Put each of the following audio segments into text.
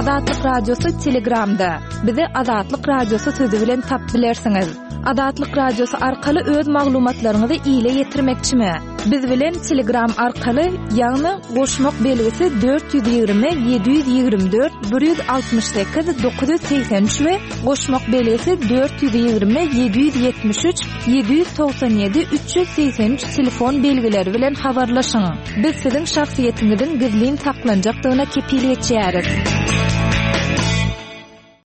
Azatlyk Radiosy Telegramda. Bizi Azatlyk Radiosy sözi bilen tapyp bilersiňiz. Azatlyk Radiosy arkaly öz maglumatlaryňyzy ile ýetirmekçimi? Biz bilen Telegram arkaly, ýagny goşmak belgisi 420 724 168 983 we goşmak belgisi 420 773 797 383 telefon belgileri bilen habarlaşyň. Biz siziň şahsyýetiňiziň gizlin saklanjakdygyna kepil geçýäris.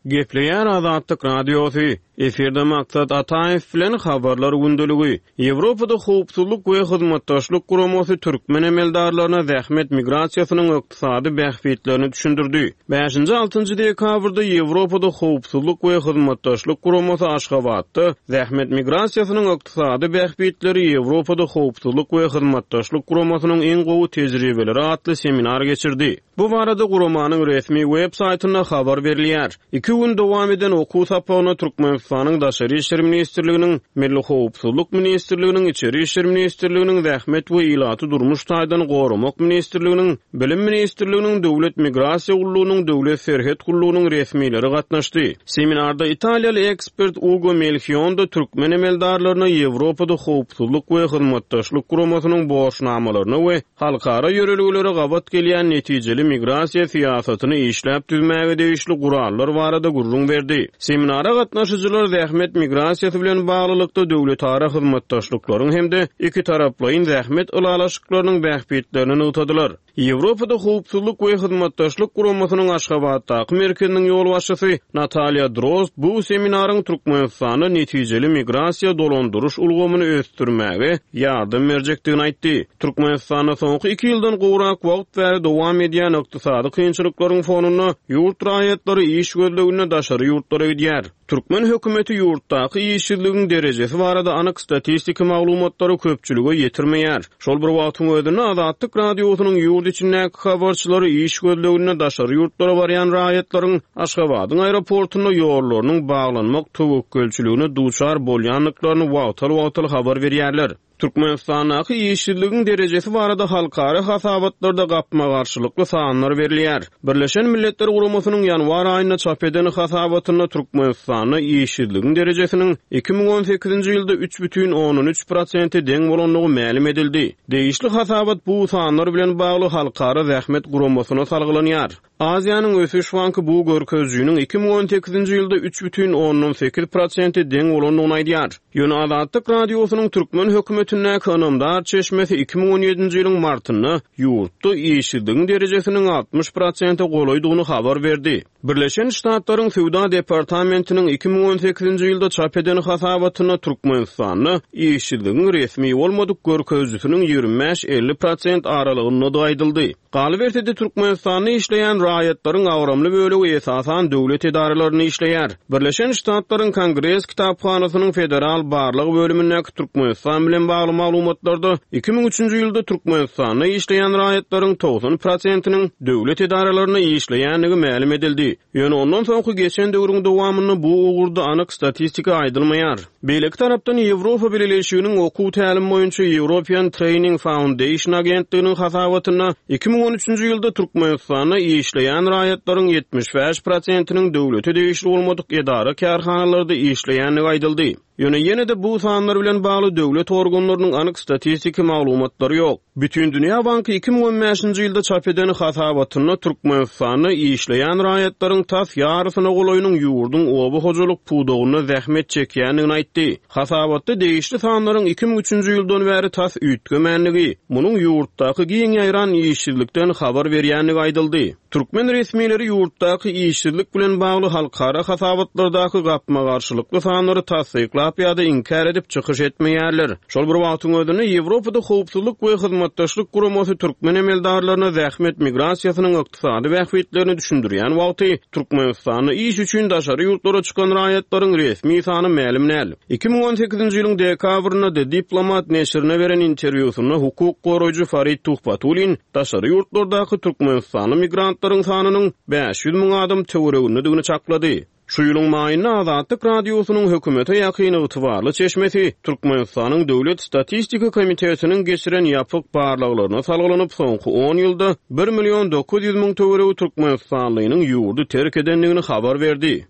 Gepleýär Azatlyk Radiosy, Efirde Maksat Ataýew bilen Habarlar gündeligi. Ýewropada Howpsuzlyk we Hyzmatdaşlyk Guramasy türkmen emeldarlaryna zähmet migrasiýasynyň ykdysady bähbitlerini düşündirdi. Bäşinji-altynjy dekabrda Ýewropada Howpsuzlyk we Hyzmatdaşlyk Guramasy Aşgabatda Zähmet migrasiýasynyň ykdysady bähbitleri Ýewropada Howpsuzlyk we Hyzmatdaşlyk Guramasynyň iň gowy tejribeleri atly seminar geçirdi. Bu barada guramanyň resmi web saýtynda habar berilýär. Iki gün dowam eden okuw sapagyna Türkmenistanyň Daşary işler ministrliginiň, Milli howpsuzlyk ministrliginiň, Içeri işler ministrliginiň, Zähmet we ilaty durmuş taýdan goramak ministrliginiň, Bilim ministrliginiň, Döwlet migrasiýa gullugynyň, Döwlet serhet gullugynyň resmileri gatnaşdy. Seminarda italiýaly ekspert Ugo Melhionda türkmen emeldarlaryna Ýewropada Howpsuzlyk we Hyzmatdaşlyk Guramasynyň borçnamalaryna we halkara ýörelgelere gabat gelýän netijeli migrasiýa syýasatyny işläp düzmäge degişli gurallar barada gürrüň berdi. Seminara gatnaşyjylar zähmet migrasiýasy bilen baglylykda döwletara hyzmatdaşlyklaryň hem-de ikitaraplaýyn zähmet ylalaşyklarynyň bähbitlerini nygtadylar. Ýewropada Howpsuzlyk we Hyzmatdaşlyk Guramasynyň Aşgabatdaky merkeziniň ýolbaşçysy Natalýa Drozd bu seminaryň Türkmenistanda netijeli migrasiýa dolandyryş ulgamyny ösdürmäge ýardam berjekdigini aýtdy. Türkmenistanda soňky iki ýyldan gowrak wagt bäri dowam edýän ykdysady kynçylyklaryň fonunda ýurt raýatlary iş gözleginde daşary ýurtlara gidýär. Türkmen hökümeti ýurtdaky işsizligiň derejesi barada anyk statistiki maglumatlary köpçülige ýetirmeýär. Şol bir wagtyň özünde Azatlyk Radiosynyň ýurt içindäki habarçylary iş gözleginde daşary ýurtlara barýan raýatlaryň Aşgabadyň aeroportunda ýollarynyň baglanmak töwekgelçiligine duçar bolýandyklaryny wagtal-wagtal habar berýärler. Türkmenistandaky işsizligiň derejesi barada halkara hasabatlarda gapma-garşylykly sanlar berilýär. Birleşen Milletler Guramasynyň ýanwar aýynda çap eden hasabatynda Türkmenistanda işsizligiň derejesiniň 2018-nji ýylda 3,3 prosente deň bolandygy mälim edildi. Degişli hasabat bu sanlar bilen bagly Halkara zähmet guramasyna salgylanýar. Aziýanyň ösüş banky bu görkezijiniň 2018-nji ýylda 3,8 prosente deň bolandygyny aýdýar. Ýöne Azatlyk Radiosynyň türkmen hökümetindäki ynamdar çeşmesi 2017-nji ýylyň martynda ýurtda işsizligiň derejesiniň 60 prosente golaýdygyny habar berdi. Birleşen Ştatlaryň Söwda departamentiniň 2018-nji ýylda çap eden hasabatynda Türkmenistanda işsizligiň resmi bolmadyk görkezijisiniň 25-50 prosent aralygyndadygy aýdyldy. Galyberse-de, Türkmenistanda işleýän raýatlaryň agramly bölegi esasan döwlet edaralarynda işleýär. Birleşen Ştatlaryň Kongres kitaphanasynyň Federal barlag bölümindäki Türkmenistan bilen bagly maglumatlarda 2003-nji ýylda Türkmenistanda işleýän raýatlaryň 90 prosentiniň döwlet edaralarynda işleýändigi mälim edildi. Ýöne ondan soňky geçen döwrüň dowamynda bu ugurda anyk statistika aýdylmaýar. Beýleki tarapdan, Ýewropa Bileleşiginiň okuw-tälim boýunça European Training Foundation agentliginiň hasabatynda 2013-nji ýylda Türkmenistanda işleýän raýatlaryň 75 prosentiniň döwlete degişli bolmadyk edara-kärhanalarda işleýändigi aýdyldy. Ýöne ýene-de bu sanlar bilen bagly döwlet organlarynyň anyk statistiki maglumatlary ýok. Bütindünýä banky 2015-nji ýylda çap eden hasabatynda Türkmenistanda işleýän raýatlaryň tas ýarysyna golaýynyň ýurduň oba hojalyk pudagynda zähmet çekýändigini aýtdy. Hasabatda degişli sanlaryň 2003-nji ýyldan bäri tas üýtgemänligi, munuň ýurtdaky giň ýaýran işsizlikden habar berýändigi aýdyldy. Türkmen resmileri ýurtdaky işsizlik bilen bagly halkara hasabatlardaky gapma-garşylykly sanlary tassyklap ýa-da inkär edip çykyş etmeýärler. Şol bir wagtyň özünde, Ýewropada Howpsuzlyk we Hyzmatdaşlyk Guramasy türkmen emeldarlaryna zähmet migrasiýasynyň ykdysady bähbitlerini düşündirýän wagty, Türkmenistanda iş üçin daşary ýurtlara çykan raýatlaryň resmi sany mälim däl. 2018-nji ýylyň dekabrynda The Diplomat neşirine beren interwýusynda hukuk goraýjy Farid Tuhbatullin daşary ýurtlardaky türkmenistanly migrantlaryň sanynyň 500 müň adam töweregindedigini çaklady. Şu ýylyň maýynda Azatlyk Radiosynyň hökümete ýakyn ygtybarly çeşmesi Türkmenistanyň Döwlet statistika komitetiniň geçiren ýapyk barlaglaryna salgylanyp, soňky on ýylda bir million 900 müň töweregi türkmenistanlynyň ýurdy terk edendigini habar berdi.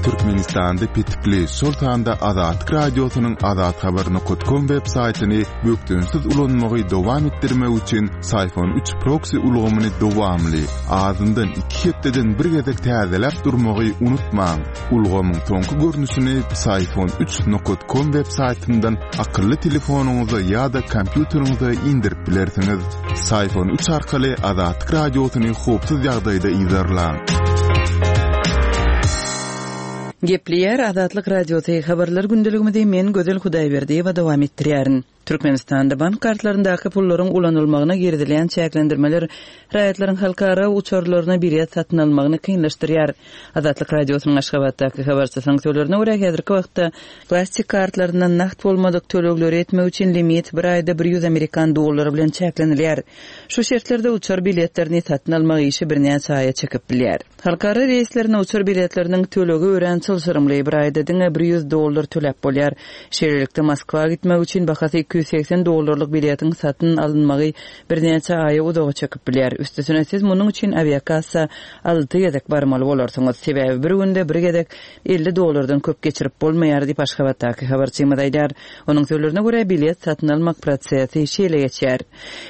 Türkmenistanda petikli, şol sanda Azatlyk Radiosynyň azathabar nokat kom web saýtyny bökdençsiz ulanmagy dowam etdirmek üçin Syphon 3 proksi ulgamyny dowamly, azyndan iki hepdeden bir gezek täzeläp durmagy unutmaň. Ulgamyň soňky görnüşini Psiphon 3 nokat kom web saýtyndan akylly telefonyňyza ýa-da kompýuteriňize indirip bilersiňiz. Syphon 3 arkaly Azatlyk Radiosyny howpsuz ýagdaýda yzarlaň. Gepleýär Azatlyk Radiosy, Habarlar gündeligimizi men Gözel Hudaýberdiýewa dowam etdirýärin. Türkmenistanda bank kartlaryndaky pullaryň ulanylmagyna girizilýän çäklendirmeler raýatlaryň halkara uçarlaryna bilet satyn almagyny kynlaşdyrýar. Azatlyk Radiosynyň Aşgabatdaky habarçysynyň sözlerine görä, häzirki wagtda plastik kartlaryndan nagt bolmadyk tölegleri etmek üçin limit bir aýda 100 amerikan dollary bilen çäklenilýär. Şu şertlerde uçar biletlerini satyn almak işi birnäçe aýa çekip bilýär. Halkara reýslerine uçar biletleriniň tölegi örän çylşyrymly, bir aýda diňe 100 dollar töläp bolýar. Şeýlelikde, Moskwa gitmek üçin bahasy 280 dollarlyk biletiň satyn alynmagy birnäçe aýa uzaga çekip bilýär. Üstesine, siz munuň üçin awiakassa alty gezek barmaly bolarsyňyz. Sebäbi bir günde bir gezek 50 dollardan köp geçirip bolmaýar diýip, Aşgabatdaky habarçymyz aýdýar. Onuň sözlerine görä, bilet satyn almak prosesi şeýle geçýär.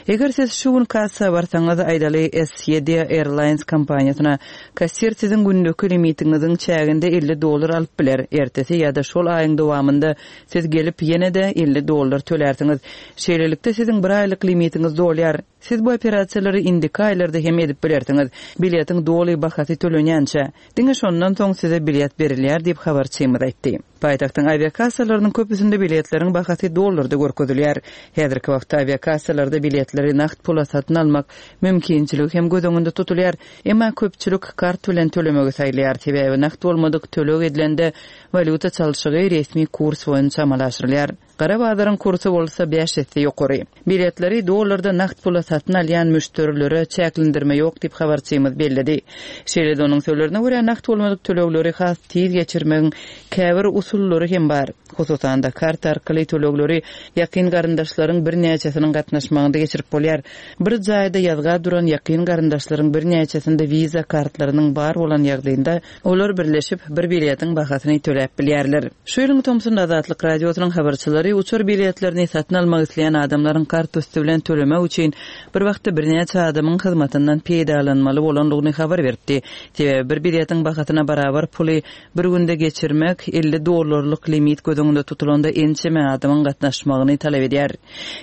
Eger siz şu gün kassa barsaňyz, aýdaly, SYD Airlines kompaniýasyna, kassir siziň gündeki limitiňiziň çäginde 50 dollar alyp biler. Ertesi ýa-da şol aýyň dowamynda siz gelip, ýene-de 50 dollar tölärsiňiz. Şeýlelikde, siziň bir aýlyk limitiňiz dolýar. Siz bu operasiýalary indiki aýlarda hem edip bilersiňiz, biletiň doly bahasy tölenýänçä. Diňe şondan soň size bilet berilýär diýip, habarçymyz aýtdy. Paýtagtyň awiakassalarynyň köpüsinde biletleriň bahasy dollarda görkezilýär. Häzirki wagtda awiakassalarda biletleri nagt pula satyn almak mümkinçiligi hem göz öňünde tutulýar. Emma köpçülik kart bilen tölemegi saýlaýar, sebäbi nagt bolmadyk töleg edilende walýuta çalşygy resmi kurs boýunça amala aşyrylýar. Gara bazaryň kursy bolsa bäş esse ýokary. Biletleri dollarda nagt pula satyn alýan müşderilere çäklendirme ýok diýip habarçymyz belledi. Şeýle-de onuň sözlerine görä, nagt bolmadyk tölegleri has tiz geçirmegiň käbir usullary hem bar. Hususan-da, karta arkaly tölegleri ýakyn garyndaşlaryň birnäçesiniň gatnaşmagynda geçirip bolýar. Bir jaýda ýazga duran ýakyn garyndaşlaryň birnäçesinde Visa kartlarynyň bar bolan ýagdaýynda, Olar birleşip, bir biletiň bahasyny töläp bilýärler. Şu ýylyň tomsunda Azatlyk Radiosynyň habarçylary uçar biletlerini satyn almak isleýän adamlaryň kart üsti bilen tölemek üçin bir wagtda birnäçe adamyň hyzmatyndan peýdalanmaly bolandygyny habar beripdi. Sebäbi bir biletiň bahasyna barabar puly bir günde geçirmek 50 dollarlyk limit göz öňünde tutulanda ençeme adamyň gatnaşmagyny talap edýär.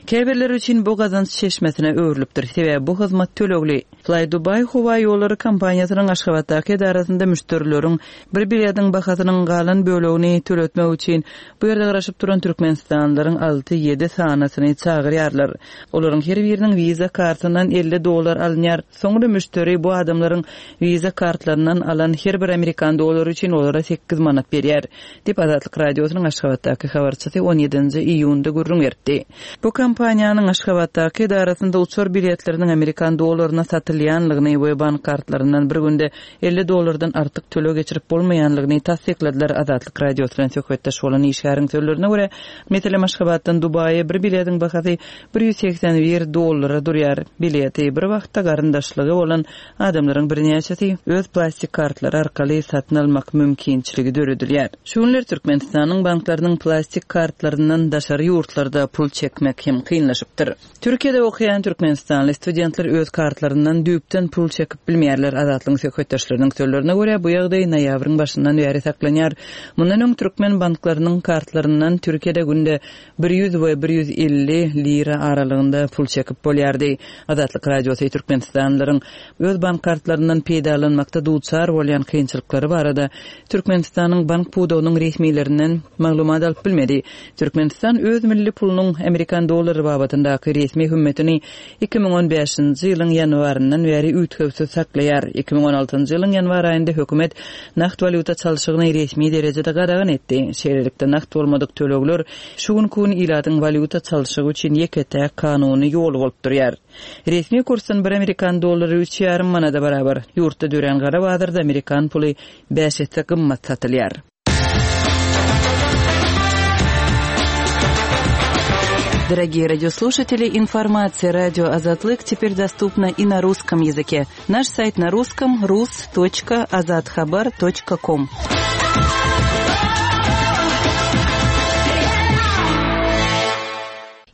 Käbirleri üçin bu gazanç çeşmesine öwrülipdir. Sebäbi bu hyzmat tölegli. Flydubai howa ýollary kompaniýasynyň Aşgabatdaky edarasynda müşderileriň bir biletiň bahasynyň galan bölegini töletmek üçin bu ýerde garaşyp duran türkmenistanlylaryň alty-ýedi sanysyny çagyrýarlar. Olaryň her biriniň Visa kartyndan 50 dollar alynýar. Soňra müşderi bu adamlaryň Visa kartlaryndan alan her bir amerikan dollary üçin olara sekiz manat berýär, diýip, Azatlyk Radiosynyň Aşgabatdaky habarçysy on ýedinji iýunda gürrüň beripdi. Bu kompaniýanyň Aşgabatdaky edarasynda uçar biletleriniň amerikan dollaryna satylýanlygyny we bank kartlaryndan bir günde 50 dollardan artyk töleg geçirip bolmaýanlygyny tassykladylar. Azatlyk Radiosy bilen söhbetdeş bolan işgäriň sözlerine görä, meselem, Aşgabatdan Dubaýa bir biletiň bahasy 181 dollara durýar. Bileti bir wagtda garyndaşlygy bolan Adamlaryň birnäçesi öz plastik kartlary arkaly satyn almak mümkinçiligi döredilýär. Şu günler Türkmenistanyň banklarynyň plastik kartlaryndan daşary ýurtlarda pul çekmek hem kynlaşypdyr. Türkiýede okaýan türkmenistanly studentler öz kartlaryndan düýpden pul çekip bilmeýärler. Azatlygyň söhbetdeşleriniň sözlerine görä, bu ýagdaý noýabryň başyndan bäri saklanýar. Mundan öň türkmen banklarynyň kartlaryndan Türkiýede günde 100 we 150 lira aralygynda pul çekip bolýardy. Azatlyk Radiosy türkmenistanlylaryň öz bank kartlaryndan peýdalanmakda duçar bolýan kynçylyklary barada Türkmenistanyň bank pudagynyň resmilerinden maglumat alyp bilmedi. Türkmenistan öz milli pulunyň amerikan dollary babatyndaky resmi hümmetini 2015-nji ýylyň ýanwaryndan bäri üýtgewsiz saklaýar. 2016-njy ýylyň ýanwar aýynda hökümet nagt walýuta çalşygyny resmi derejede gadagan etdi. Şeýlelikde, nagt bolmadyk tölegler şu günki gün ilatyň. walýuta çalşygy üçin ýeke-täk kanuny ýoly bolup durýar. Resmi kursdan bir amerikan dollary üç ýarym manada barabar. Ýurtda dörän gara bazarda amerikan puly bäş esse gymmat satylýar. Дорогие радиослушатели, информация радио Азатлык теперь доступна и на русском языке. Наш сайт на русском rus.azathabar.com.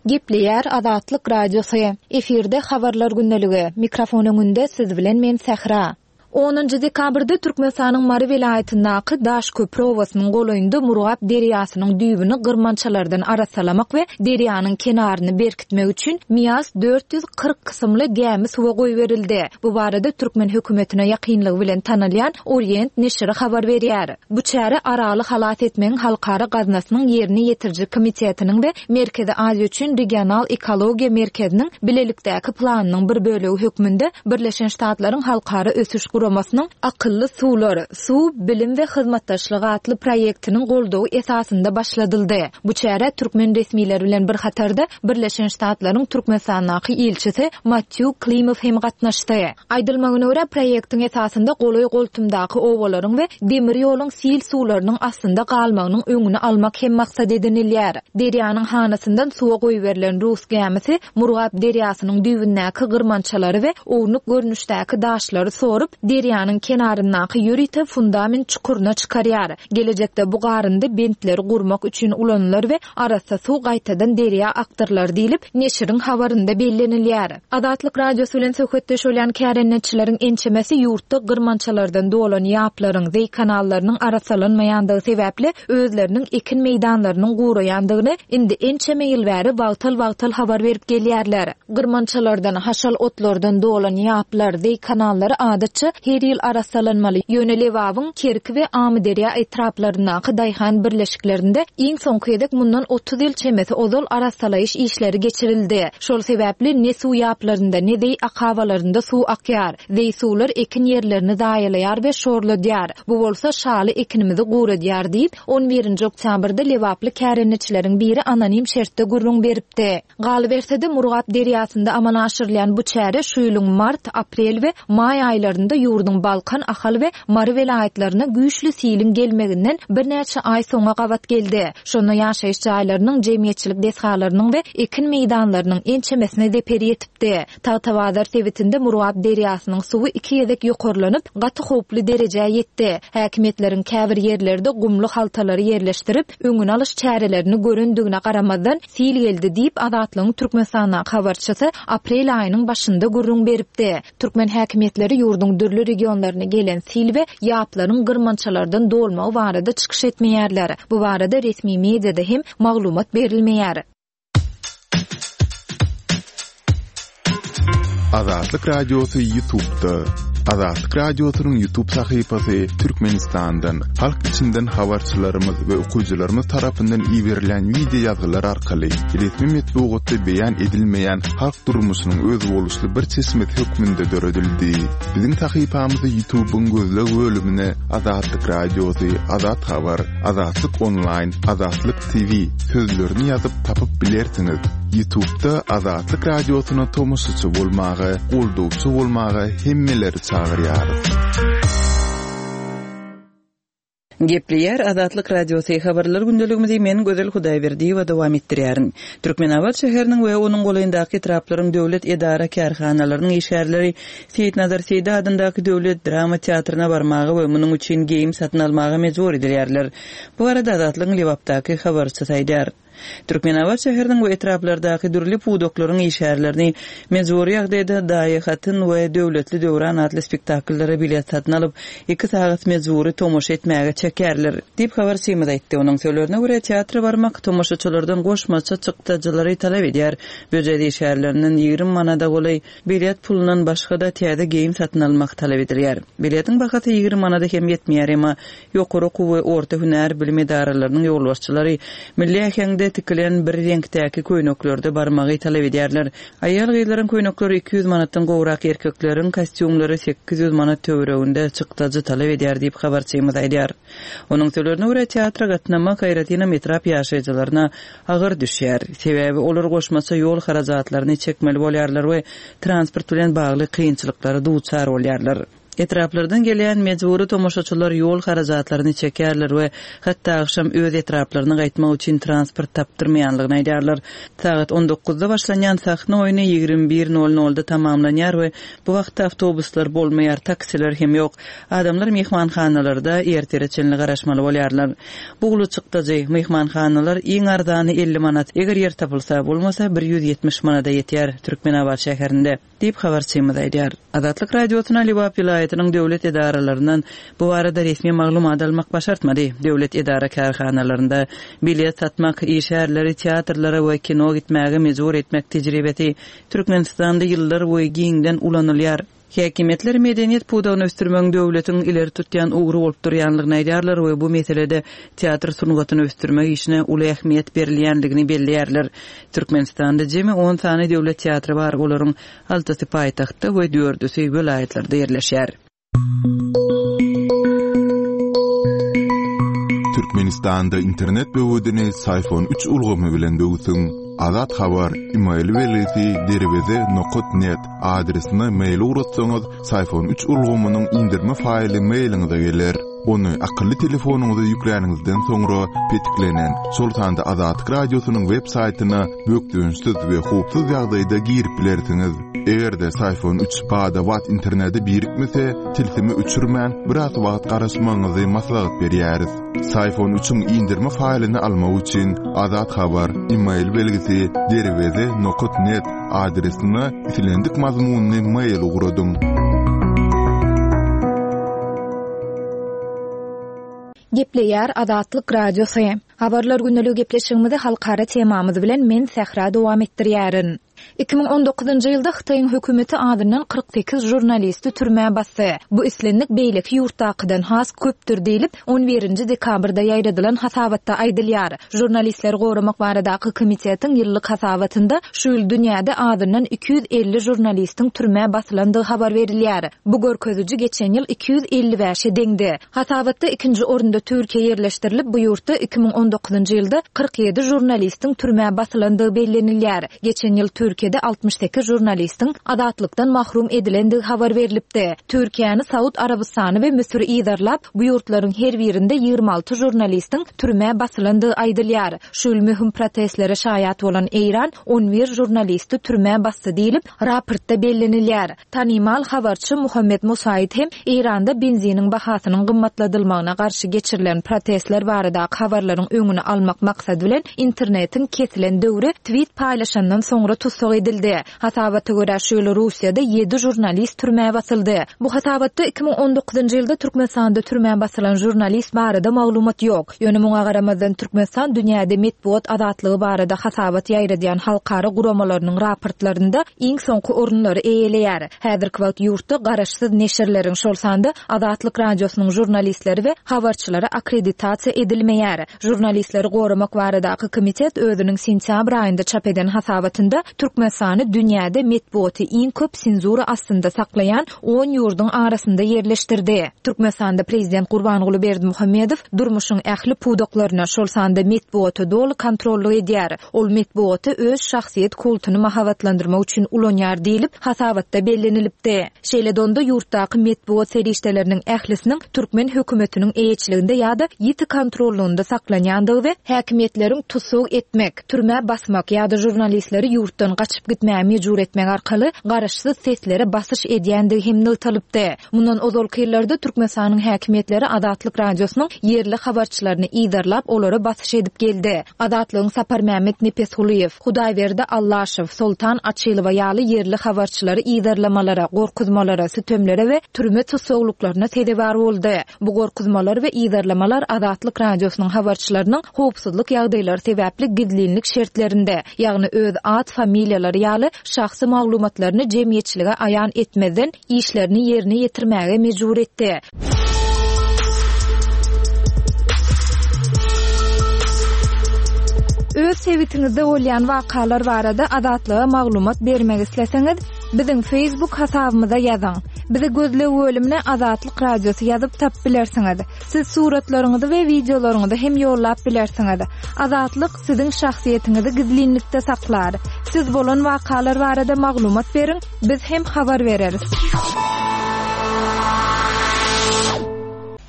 Gepleýär Azatlyk Radiosy. Efirde Habarlar gündeligi. Mikrofon öňünde siz bilen men Sähra. Onunjy dekabrda Türkmenistanyň Mary welaýatyndaky Daşköpri obasynyň golaýynda Murgap derýasynyň düýbüni gyrmançalardan arassalamak we derýanyň kenaryny berkitmek üçin Mias 440 kysymly gämi suwa goýberildi. Bu barada türkmen hökümetine ýakynlygy bilen tanalýan Orient neşiri habar berýär. Bu çäre Araly halas etmegiň halkara gaznasynyň ýerine ýetiriji komitetiniň we Merkezi Aziýa üçin regional ekologiýa merkeziniň bilelikdäki planynyň bir bölegi hökmünde Birleşen Ştatlaryň Halkara ösüş guramasynyň Akylly suwlar, suw, bilim we hyzmatdaşlyk atly proýektiniň goldawy esasynda başladyldy. Bu çärä türkmen resmileri bilen bir hatarda Birleşen Ştatlaryň Türkmenistandaky ilçisi Mattýu Klimow hem gatnaşdy. Aýdylmagyna görä, proýektiň esasynda golaý-goltumdaky obalaryň we demir ýoluň sil suwlarynyň astynda galmagynyň öňüni almak hem maksat edinilýär. Derýanyň hanasyndan suwa goýberilen rus gämisi Murgap derýasynyň düýbündäki gyrmançalary we ownuk görnüşdäki daşlary sorup, derýanyň kenaryndaky ýörite fundament çukuryna çykarýar. Gelejekde bu garyndy bentleri gurmak üçin ulanylar we arassa suw gaýtadan derýa akdyrylar diýlip, neşiriň habarynda bellenilýär. Azatlyk Radiosy bilen söhbetdeş bolýan kärendeçileriň ençemesi ýurtda gyrmançalardan dolan ýaplaryň, zeý kanallarynyň arassalanmaýandygy sebäpli özleriniň ekin meýdanlarynyň guraýandygyny indi ençeme ýyl bäri wagtal-wagtal habar berip gelýärler. Gyrmançalardan, haşal otlardan dolan ýaplar, zeý kanallary adatça her ýyl arassalanmaly. Ýöne Lebabyň Kerki we Amyderýa etraplaryndaky daýhan birleşiklerinde iň soňky gezek mundan 30 ýyl çemesi ozal arassalaýyş işleri geçirildi. Şol sebäpli ne suw ýaplarynda, ne zeý akabalarynda suw akýar. Zeý suwlar ekin ýerlerini zaýalaýar we şorladýar. Bu bolsa şaly ekinimizi guradýar diýip, on birinji oktýabrda lebaply kärendeçileriň biri anonim şertde gürrüň beripdi. Galyberse-de, Murgap derýasynda amala aşyrylýan bu çäre şu ýylyň mart, aprel we maý aýlarynda ýurduň Balkan, Ahal we Mary welaýatlaryna güýçli siliň gelmeginden birnäçe aý soňa gabat geldi. Şonda ýaşaýyş jaýlarynyň, jemgyýetçilik desgalarynyň we ekin meýdanlarynyň ençemesine zeper ýetipdi. Tagtabazar sebitinde Murgap derýasynyň suwy iki gezek ýokarlanyp, gaty howply derejä ýetdi. Häkimiýetleriň käbir ýerlerde gumly haltalary ýerleşdirip, öňüni alyş çärelerini görendigine garamazdan, sil geldi diýip, Azatlygyň Türkmenistandaky habarçysy aprel aýynyň başynda gürrüň beripdi. Türkmen häkimiýetleri ýurduň dürli regionlaryna gelen sil we ýaplaryň gyrmançalardan dolmagy barada çykyş etmeýärler. Bu barada resmi mediada hem maglumat berilmeýär. Azatlyk Radiosy Ýutubda. Azatlyk Radiosynyň Ýutub sahypasy Türkmenistandan, halk içinden habarçylarymyz we okyjylarymyz tarapyndan iberilen wideo ýazgylar arkaly resmi metbugatda beýan edilmeýän halk durmuşynyň özboluşly bir çeşmesi hökmünde döredildi. Biziň sahypamyzy Ýutubyň gözleg bölümine Azatlyk Radiosy, Azat Habar, Azatlyk Onlaýn, Azatlyk TV sözlerini ýazyp tapyp bilersiňiz. Ýutubda Azatlyk Radiosyna tomaşaçy bolmaga, goldawçy bolmaga hemmeleri çagyrýarys. Gepleýär Azatlyk Radiosy, Habarlar gündeligimizi men Gözel Hudaýberdiýewa dowam etdirýärin. Türkmenabat şäheriniň we onuň golaýyndaky etraplaryň döwlet edara-kärhanalarynyň işgärleri Seýitnazar Seýdi adyndaky döwlet drama teatryna barmaga we munuň üçin geýim satyn almaga mejbur edilýärler. Bu barada Azatlygyň Lebapdaky habarçysy aýdýar. Türkmenabat şäheriniň we etraplardaky dürli pudaklaryň işgärlerini mejbury ýagdaýda Daýy hatyn we Döwletli döwran atly spektakllara bilet satyn alyp, iki sagat mejbury tomaşa etmäge çekýärler, diýip, habarçymyz aýtdy. Onuň sözlerine görä, teatra barmak tomaşaçylardan goşmaça çykdajylary talap edýär. Býujet işgärlerinden 20 manada golaý Bilet pulundan başga-da täze geýim satyn almak talap edilýär. Biletiň bahasy 20 manada hem ýetmeýär, emma ýokary okuw we orta hünär bilim edaralarynyň ýolbaşçylary milli äheňde. teklipde tikilen bir reňkdäki köýneklerde barmagy talap edýärler. Aýal-gyzlaryň köýnekleri 200 manatdan gowrak, erkekleriň kostýumlary 800 manat töwereginde çykdajy talap edýär diýip, habarçymyz aýdýar. Onuň sözlerine görä, teatra gatnamak aýratynam etrap ýaşaýjylaryna agyr düşýär. Sebäbi olar goşmaça ýol harajatlaryny çekmeli bolýarlar we transport bilen bagly kynçylyklara duçar bolýarlar. Etraplardan gelýän mejbury tomaşaçylar ýol harajatlaryny çekýärler we hatda agşam öz etraplaryna gaýtmak üçin transport tapdyrmaýanlygyny aýdýarlar. Sagat on dokuzda başlanýan sahna oýny 21 nol nolda tamamlanýar we bu wagtda awtobuslar bolmaýar, taksiler hem ýok. Adamlar myhmanhanalarda ertire çenli garaşmaly bolýarlar. Bu uly çykdajy. Myhmanhanalar iň arzany 50 manat, eger ýer tapylsa, bolmasa 170 manada ýetýär Türkmenabat şäherinde. Diýip, habarçymyz aýdýar. Azatlyk Radiosyna Lebap welaýatynyň döwlet edaralaryndan bu barada resmi maglumat almak başartmady. Döwlet edara-kärhanalarynda bilet satmak, işgärleri teatrlara we kino gitmäge mejbur etmek tejribesi Türkmenistanda ýyllar boýy giňden ulanylýar. Häkimiýetler medeniýet pudagyny ösdürmegiň döwletiň ileri tutýan ugry bolup durýanlygyny aýdýarlar we bu meselede teatr sungatyny ösdürmek işine uly ähmiýet berilýänligini belleýärler. Türkmenistanda jemi on sany döwlet teatry bar, olaryň altysy paýtagtda we dördüsi welaýatlarda ýerleşýär. Türkmenistanda internet böwedini Syfon üç ulgamy bilen böwsüň. Azat Habar, email belgisi derweze nokat net adresine mail ugratsaňyz, Syfon üç ulgamynyň indirme faýly mailiňize geler. Ony akylly telefonyňyza ýükläniňizden soňra petiklenen, şol sanda Azatlyk Radiosynyň web saýtyna bökdençsiz we howpsuz ýagdaýda girip bilersiňiz. Eger-de Syfon üç bada-bat internete birikmese, tilsimi öçürmän, biraz wagt garaşmagyňyzy maslahat berýäris. Syfon üçiň indirme faýlyny almak üçin Azat Habar, email belgisi derweze nokat net adresine islendik mazmunly mail ugradyň. Gepleýär Azatlyk Radiosy. Habarlar gündeligi gepleşigimizi halkara temamyz bilen men Sähra dowam etdirýärin. 2019-njy ýylda Hytaýyň hökümeti azyndan 48 žurnalisti türmä basdy. Bu islendik beýleki ýurtdakydan has köpdür diýlip, on birinji dekabrda ýaýradylan hasabatda aýdylýar. Žurnalistleri goramak baradaky komitetiň ýyllyk hasabatynda şu ýyl dünýäde azyndan 250 žurnalistiň türmä basylandygy habar berilýär. Bu görkeziji geçen ýyl 255-e deňdi. Hasabatda ikinji orunda Türkiýe ýerleşdirilip, bu ýurtda 2019-njy ýylda 47 žurnalistiň türmä basylandygy bellenilýär. Geçen ýyl Türkiýede 68 žurnalistiň azatlykdan mahrum edilendigi habar berlipdi. Türkiýäni Saud Arabystany we Müsür yzarlap, bu ýurtlaryň her birinde 26 žurnalistiň türmä basylandygy aýdylýar. Şu ýyl möhüm protestlere şaýat bolan Eýran on bir žurnalisti türmä basdy diýlip, raportda bellenilýär. Tanymal habarçy Muhammet Musaid hem Eýranda benziniň bahasynyň gymmatladylmagyna garşy geçirilen protestler baradaky habarlaryň öňüni almak maksady bilen internetiň kesilen döwri twit paýlaşandan soňra tussag edildi. Hasabata görä, şu ýyl Russiýada ýedi žurnalist türmä basyldy. Bu hasabatda 2019-njy ýylda Türkmenistanda türmä basylan žurnalist barada maglumat ýok. Ýöne muňa garamazdan Türkmenistan dünýäde metbugat azatlygy barada hasabat ýaýradýan halkara guramalarynyň raportlarynda iň soňky orunlary eýeleýär. Häzirki wagt ýurtda garaşsyz neşirleriň, şol sanda Azatlyk Radiosynyň žurnalistleri we habarçylary akkreditasiýa edilmeýär. Žurnalistleri goramak baradaky komitet özüniň sentýabr aýynda çap eden hasabatynda Türkmenistany dünýäde metbugaty iň köp senzura astynda saklaýan on ýurduň arasynda ýerleşdirdi. Türkmenistanda prezident Gurbanguly Berdimuhamedow durmuşyň ähli pudaklaryna, şol sanda metbugata doly kontrollyk edýär. Ol metbugaty öz şahsyýet kultuny mahabatlandyrmak üçin ulanýar diýlip, hasabatda bellenilipdi. Şeýle-de onda ýurtdaky metbugat serişdeleriniň ählisiniň türkmen hökümetiniň eýeçiliginde ýa-da ýiti kontrollygynda saklanýandygy we häkimiýetleriň tussag etmek, türmä basmak ýa-da žurnalistleri ýurtdan gaçyp gitmäge mejbur etmek arkaly garaşsyz seslere basyş edýändigi hem nygtalypdy. Mundan ozalky ýyllarda Türkmenistanyň häkimiýetleri Azatlyk Radiosynyň ýerli habarçylaryny yzarlap, olara basyş edip geldi. Azatlygyň Saparmämmet Nepesgulyýew, Hudaýberdi Allaşow, Soltan Açylowa ýaly ýerli habarçylary yzarlamalara, gorkuzmalara, sütemlere we türme tussaglyklaryna sezewar boldy. Bu gorkuzmalar we yzarlamalar Azatlyk Radiosynyň habarçylarynyň howpsuzlyk ýagdaýlary sebäpli gizlinlik şertlerinde, ýagny öz at-familiýalary ýaly şahsy maglumatlaryny jemgyýetçilige aýan etmezden işlerini ýerine ýetirmäge mejbur etdi. Öz. Öz sebitiňizde bolýan wakalar barada Azatlyga maglumat bermek isleseňiz, biziň Facebook hasabymyza ýazyň. Bizi gözleg bölümine Azatlyk Radiosy ýazyp tapyp bilersiňiz. Siz suratlaryňyzy we wideolaryňyzy hem ýollap bilersiňiz. Azatlyk siziň şahsyýetiňizi gizlinlikde saklar. Siz bolan wakalar barada maglumat beriň, biz hem habar bereris.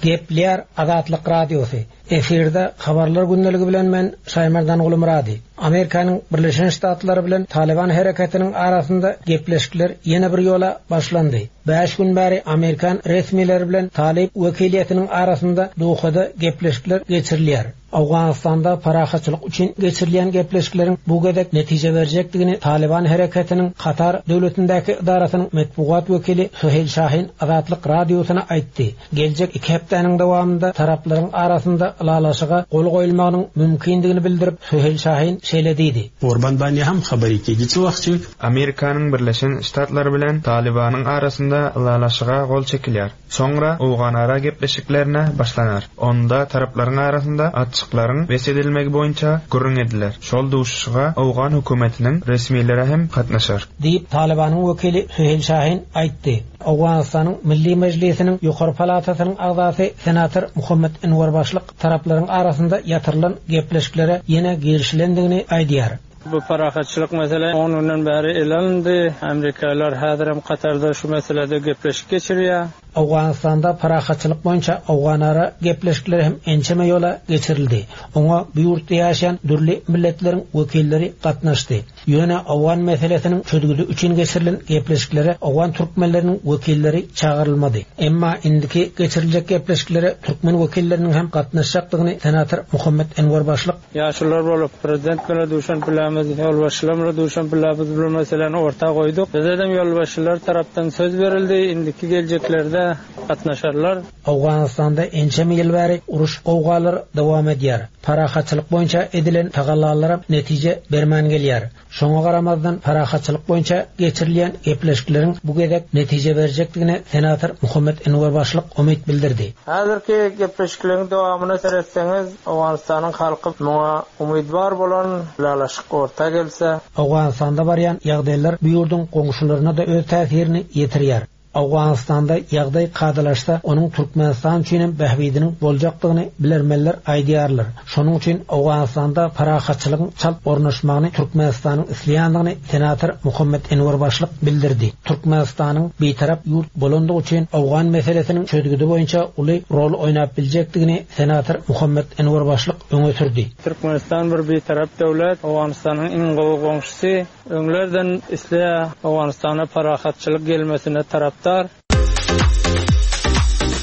Gepleýär Azatlyk Radiosy. Efirde Habarlar gündeligi bilen men Şaýmerdan Gulumyrady. Amerikanyň Birleşen Ştatlary bilen Talyban hereketiniň arasynda gepleşikler ýene bir ýola başlandy. Bäş gün bäri amerikan resmileri bilen talyp wekiliýetiniň arasynda Dohada gepleşikler geçirilýär. Owganystanda parahatçylyk üçin geçirilýän gepleşikleriň bu gezek netije berjekdigini Talyban hereketiniň Katar döwletindäki edarasynyň metbugat wekili Suheýl Şahin Azatlyk Radiosyna aýtdy. Geljek iki hepdäniň dowamynda taraplaryň arasynda ylalaşyga gol goýulmagynyň mümkindigini bildirip, Suheýl Şahin şeýle diýdi. Urban bandi ham xabari keygi çi wagt çi. Amerikanyň Birleşen Ştatlary bilen Talybanyň arasynda ylalaşyga gol çekilýär. Soňra owganara gepleşiklerine başlanar. Onda taraplaryň arasynda atşyklaryň bes edilmegi boýunça gürrüň ediler. Şol duşuşyga owgan hökümetiniň resmileri hem gatnaşar. Diýip, Talybanyň wekili Suheýl Şahin aýtdy. Owganystanyň Milli Mejlisiniň ýokary palatasynyň agzasy senator Muhammet Enwer Başlyk taraplaryň arasynda ýatyrylan gepleşiklere ýene girişilendigini aýdýar. Bu parahatçylyk mesele on günden bäri ele alyndy. Amerikalylar häzirem Katarda şu meselede gepleşik geçirýär. Owganystanda parahatçylyk boýunça owganara gepleşikler hem ençeme ýola geçirildi. Oňa bu ýurtda ýaşaýan dürli milletleriň wekilleri gatnaşdy. Ýöne owgan meselesiniň çözgüdi üçin geçirilen gepleşiklere owgan türkmenleriniň wekilleri çagyrylmady. Emma indiki geçiriljek gepleşiklere türkmen wekilleriniň hem gatnaşjakdygyny senator Muhammet Enwer Başlyk. Ýaşulular bolup, prezident bilen duşan pulamiz, ýolbaşçylar bilen duşan pulamiz bu meseläni orta goýduk. Bizedem ýolbaşçylar tarapdan söz berildi, indiki geljeklerde gatnaşarlar. Owganystanda ençeme ýyl bäri uruş-gowgalar dowam edýär. Parahatçylyk boýunça edilen tagallalaram netije bermän gelýär. Şoňa garamazdan, parahatçylyk boýunça geçirilýän gepleşikleriň bu gezek netije berjekdigine senator Muhammet Enwer Başlyk umyt bildirdi. Häzirki gepleşikleriň dowamyna seretseňiz, Owganystanyň halky muňa umydwar bolan ylalaşyk orta gelse, Owganystanda barýan ýagdaýlar bu ýurduň goňşularyna-da öz täsirini ýetirýär. Owganystanda ýagdaý kadalaşsa, onuň Türkmenistan üçinem bähbidiniň boljakdygyny bilermenler aýdýarlar. Şonuň üçin Owganystanda parahatçylygyň çalt ornaşmagyny Türkmenistanyň isleýändigini senator Muhammet Enwer Başlyk bildirdi. Türkmenistanyň bitarap ýurt bolandygy üçin owgan meselesiniň çözgüdi boýunça uly rol oýnap biljekdigini senator Muhammet Enwer Başlyk öňe sürdi. Türkmenistan bir bitarap döwlet, Owganystanyň iň gowy goňşusy. Öňlerden isleýär Owganystana parahatçylyk gelmesine tarapdar.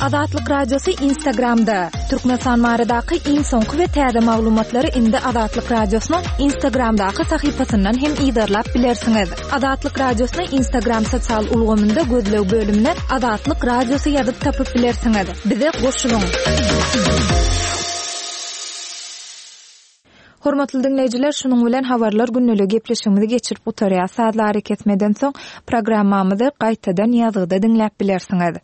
Azatlyk Radiosy Instagramda, Türkmenistan baradaky iň soňky we täze maglumatlary indi Azatlyk Radiosynyň Instagramdaky sahypasyndan hem yzarlap bilersiňiz. Azatlyk Radiosyny Instagram sosial ulgamynda gözleg bölümine Azatlyk Radiosy ýazyp tapyp bilersiňiz. Bize goşulyň! Hormatly diňleýjiler, şunuň bilen Habarlar gündeligi gepleşigimizi geçirip gutarýas. Sazly arakesmeden soň programmamyzy gaýtadan ýazgyda diňläp bilersiňiz.